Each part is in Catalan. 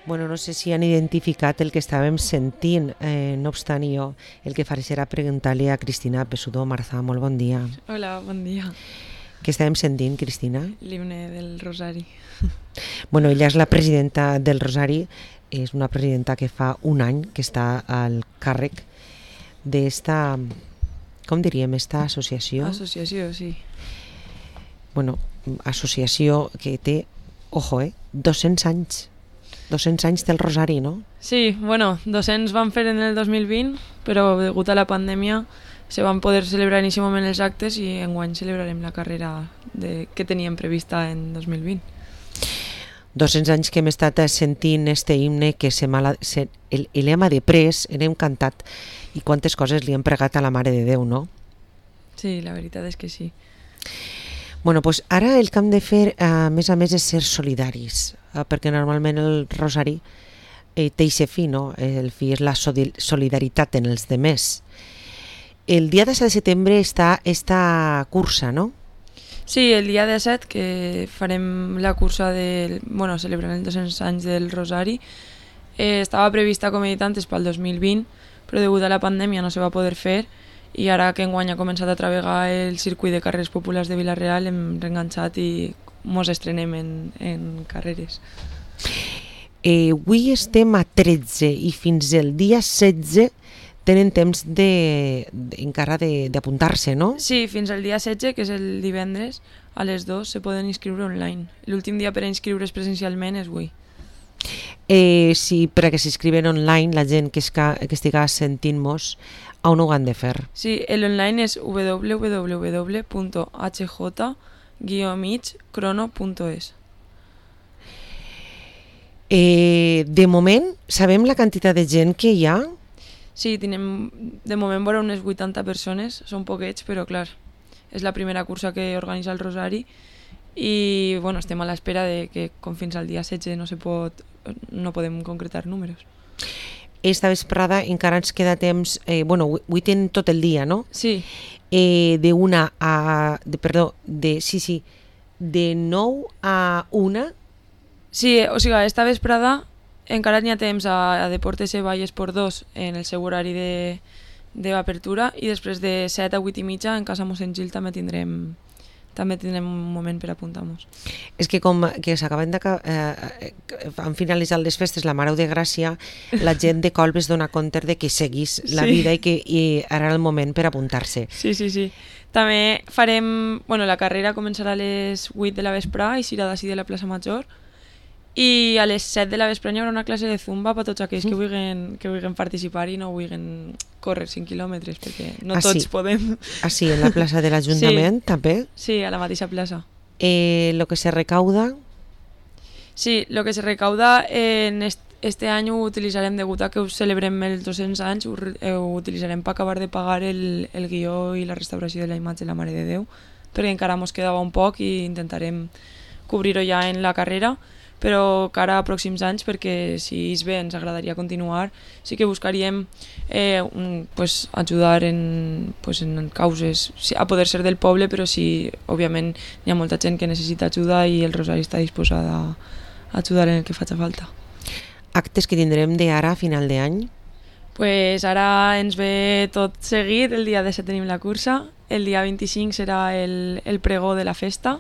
Bueno, no sé si han identificat el que estàvem sentint, no obstant jo, el que faré serà preguntar-li a Cristina Pessudó. Marza, molt bon dia. Hola, bon dia. Què estàvem sentint, Cristina? L'himne del Rosari. Bueno, ella és la presidenta del Rosari, és una presidenta que fa un any que està al càrrec d'esta, com diríem, esta associació? Associació, sí. Bueno, associació que té, ojo, 200 anys. 200 anys del Rosari, no? Sí, bueno, 200 van fer en el 2020, però degut a la pandèmia se van poder celebrar en aquest moment els actes i enguany celebrarem la carrera que teníem prevista en 2020. 200 anys que hem estat sentint este himne que l'hem après, l'hem cantat i quantes coses li hem pregat a la Mare de Déu, no? Sí, la veritat és que sí. Bueno, doncs ara el que hem de fer, a més, és ser solidaris, perquè normalment el Rosari té aquest fi, no? El fi és la solidaritat en els demés. El dia 17 de setembre està esta cursa, no? Sí, el dia 17 que farem la cursa celebrant els 200 anys del Rosari. Estava prevista, com he dit antes, pel 2020, però degut a la pandèmia no se va poder fer i ara que enguany ha començat a travegar el circuit de carreres populars de Vila-real hem reenganxat i mos estrenem en carreres. Avui estem a 13 i fins el dia 16 tenen temps encara d'apuntar-se, no? Sí, fins al dia 16, que és el divendres, a les 2 se poden inscriure online. L'últim dia per a inscriure's presencialment és avui. Sí, perquè s'inscriuen online la gent que estiga sentint-nos, on ho han de fer? Sí, l'online és www.hj-crono.es. De moment, sabem la quantitat de gent que hi ha? Sí, tenim de moment vora unes 80 persones, són poquets, però clar, és la primera cursa que organitza el Rosari i bueno, estem a l'espera de que com fins al dia 16 no podem concretar números. Esta vesprada encara ens queda temps, avui tenen tot el dia, no? Sí. De 9 a 1. Sí, o sigui, esta vesprada encara n'hi ha temps a Deportes Vall Esport 2 en el seu horari d'apertura i després de 7 a 8 i mitja en Casa Mossèn Gil també tindrem un moment per apuntar-nos. És que com que han finalitzat les festes la Mare de Gràcia, la gent de Colbes dona compte de que seguís la vida i ara era el moment per apuntar-se. Sí. També farem... la carrera començarà a les 8 de la vesprà i serà d'ací de la plaça Major i a les 7 de la vesprà hi haurà una classe de zumba per tots aquells que vulguin participar i no vulguin córrer 5 quilòmetres perquè no tots podem. Sí, en la plaça de l'Ajuntament també? Sí, a la mateixa plaça. Lo que se recauda? Sí, lo que se recauda en este any ho utilitzarem, degut a que ho celebrem els 200 anys, ho utilitzarem per acabar de pagar el guió i la restauració de la imatge de la Mare de Déu, perquè encara mos quedava un poc i intentarem cobrir-ho ja en la carrera, però cara a pròxims anys, perquè si és bé ens agradaria continuar, sí que buscaríem ajudar en causes, a poder ser del poble, però sí, òbviament hi ha molta gent que necessita ajuda i el Rosari està disposat a ajudar en el que faci falta. Actes que tindrem d'ara a final d'any? Pues ara ens ve tot seguit, el dia 17 tenim la cursa, el dia 25 serà el pregó de la festa,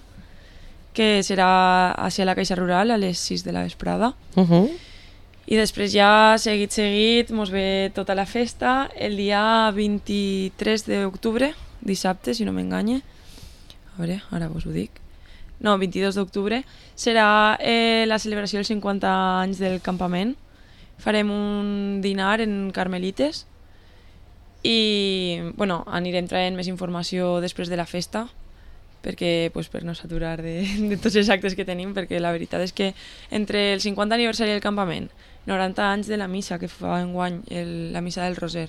que serà a la Caixa Rural a les 6 de la vesprada. I després ja, seguit, mos ve tota la festa. El dia 23 d'octubre, dissabte, si no m'enganye, a veure, ara vos ho dic, 22 d'octubre, serà la celebració dels 50 anys del campament. Farem un dinar en Carmelites i anirem traient més informació després de la festa, perquè per no saturar de tots els actes que tenim, perquè la veritat és que entre el 50 aniversari del campament, 90 anys de la missa que fa enguany, la missa del Roser,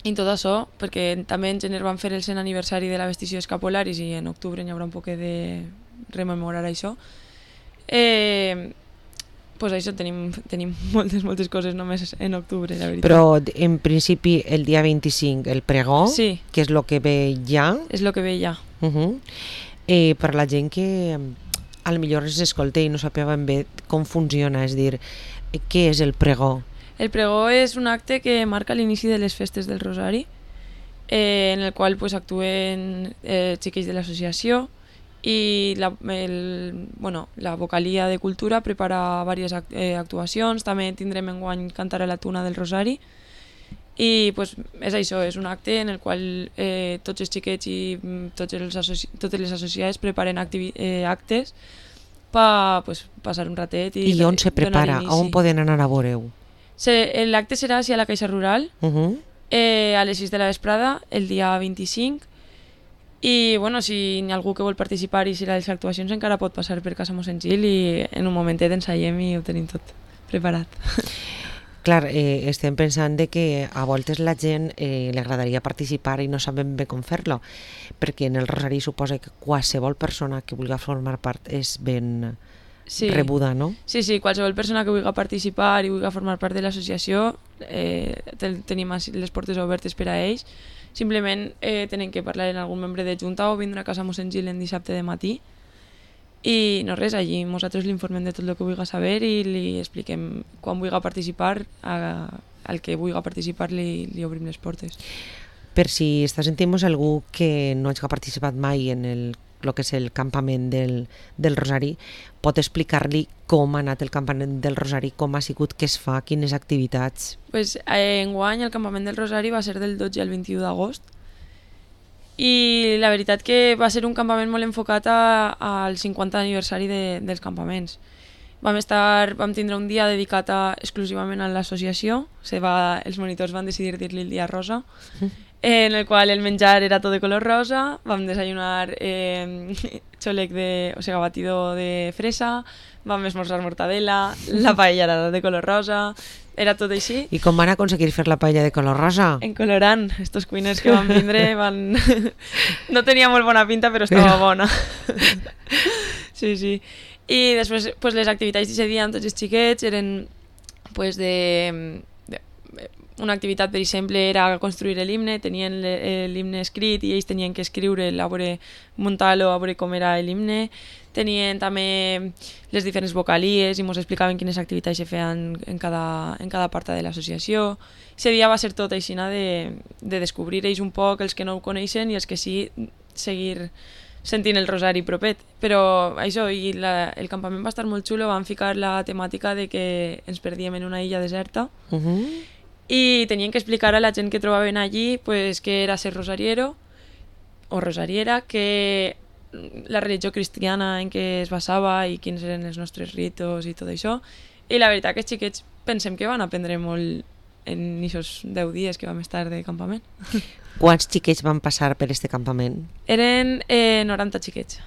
i tot això, perquè també en gener van fer el 100 aniversari de la Vestició Escapolaris i en octubre hi haurà un poc de rememorar això. Pues això, tenim moltes coses només en octubre, la veritat. Però en principi el dia 25 el pregó, sí, que és el que ve ja. És el que ve ja. Per la gent que a lo millor es escolta i no sàpiga ben bé com funciona, és dir, què és el pregó? El pregó és un acte que marca l'inici de les festes del Rosari, en el qual pues, actuen xiquets de l'associació i la vocalia de cultura prepara diverses actuacions. També tindrem enguany Cantar a la Tuna del Rosari i pues, és això, és un acte en el qual tots els xiquets i totes les associades preparen actes per pues, passar un ratet i on se prepara? On poden anar a veure-ho? L'acte serà a la Caixa Rural a les 6 de la vesprada el dia 25 i bueno, si hi ha algú que vol participar i si les actuacions encara pot passar per Casa Mossèn Gil i en un momentet ensayem i ho tenim tot preparat. Clar, estem pensant de que a voltes la gent li agradaria participar i no saben bé com fer-lo, perquè en el Rosari suposa que qualsevol persona que vulgui formar part és ben rebuda, no? Sí, qualsevol persona que vulgui participar i vulgui formar part de l'associació tenim les portes obertes per a ells. Simplement tenen que parlar amb algun membre de Junta o vindre a Casa Mossèn Gil en dissabte de matí i no res, allí nosaltres l'informem de tot el que vulgui saber i li expliquem quan vulgui participar, al que vulgui participar li obrim les portes. Per si està sentint algú que no hagi participat mai en el que és el campament del Rosari, pot explicar-li com ha anat el campament del Rosari, com ha sigut, què es fa, quines activitats? Pues, enguany el campament del Rosari va ser del 12 al 21 d'agost i la veritat que va ser un campament molt enfocat al 50 aniversari dels campaments. Vam tindre un dia dedicat exclusivament a l'associació, els monitors van decidir dir-li el dia rosa, en el qual el menjar era tot de color rosa, vam desayunar batido de fresa, vam esmorzar mortadela, la paella era de color rosa, era tot així. I com van aconseguir fer la paella de color rosa? En colorant, estos cuiners que van vindre no tenia molt bona pinta però estava bona. Sí. I després pues, les activitats d'aquest dia amb tots els xiquets eren pues, una activitat, per exemple, era construir l'himne, tenien l'himne escrit i ells tenien que escriure, muntar-lo, a veure com era l'himne. Tenien també les diferents vocalies i ens explicaven quines activitats se feien en cada part de l'associació. Aquest dia va ser tot així de descobrir ells un poc, els que no ho coneixen i els que sí, seguir sentint el Rosari propet. Però això, el campament va estar molt xulo, van ficar la temàtica de que ens perdíem en una illa deserta i tenien que explicar a la gent que trobaven allí pues, què era ser rosariero o rosariera, que la religió cristiana en què es basava i quins eren els nostres ritos i tot això. I la veritat que els xiquets pensem que van aprendre molt en aquests 10 dies que vam estar de campament. Quants xiquets van passar per este campament? Eren 90 xiquets.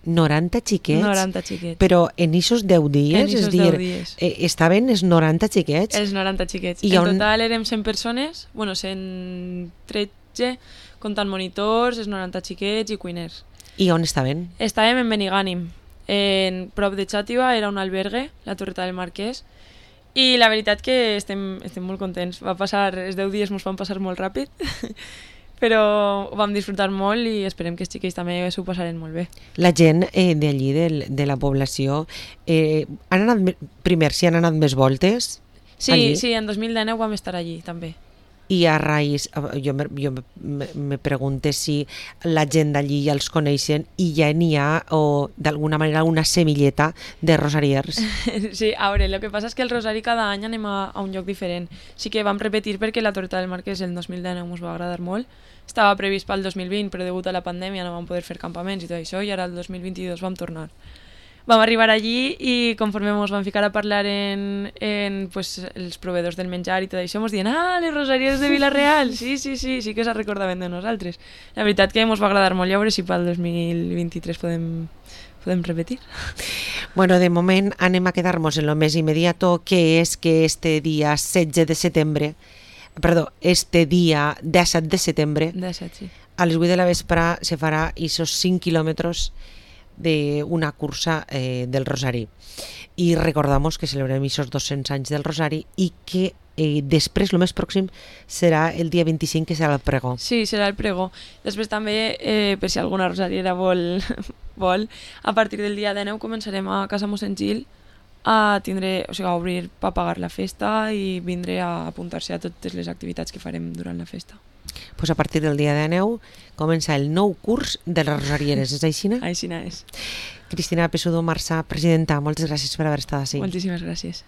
90 xiquets? 90 xiquets. Però en aquests 10 dies? En aquests 10 dies. Estaven els 90 xiquets? Els 90 xiquets. En total érem 100 persones, 113, comptant monitors, els 90 xiquets i cuiners. I on estaven? Estàvem en Benigànim, en prop de Xàtiva, era un albergue, la Torreta del Marquès, i la veritat que estem molt contents. Els 10 dies ens van passar molt ràpid, però ho vam disfrutar molt i esperem que els xiquets també s'ho passaren molt bé. La gent d'allí, de la població, han anat primer, si han anat més voltes? Sí, en 2019 vam estar allí també. I a raïs, jo me pregunto si la gent d'allí ja els coneixen i ja n'hi ha, o d'alguna manera, una semilleta de rosariers. Sí, a veure, el que passa és que el rosari cada any anem a un lloc diferent. Sí que vam repetir perquè la Torreta del Marquès el 2019 ens va agradar molt. Estava previst pel 2020, però degut a la pandèmia no vam poder fer campaments i tot això, i ara el 2022 vam tornar. Vam arribar allí i conforme ens vam ficar a parlar en pues, els proveedors del menjar i tot això, ens diuen les rosarieres de Vila-real, sí que se recordaven de nosaltres. La veritat que ens va agradar molt, ja veure si pel 2023 podem repetir. Bueno, de moment anem a quedar-nos en lo més immediato, que és que este dia 17 de setembre, a les 8 de la vespre se farà esos 5 quilòmetres d'una cursa del Rosari. I recordamos que celebrem aquests 200 anys del Rosari i que després, el més pròxim, serà el dia 25, que serà el pregó. Sí, serà el pregó. Després també, per si alguna rosariera vol, a partir del dia 19 començarem a Casa Mossèn Gil a obrir per pagar la festa i vindre a apuntar-se a totes les activitats que farem durant la festa. Pues a partir del dia 19 comença el nou curs de les rosarieres, és així? Així és. Cristina Pesudo Marsà, presidenta, moltes gràcies per haver estat així. Moltíssimes gràcies.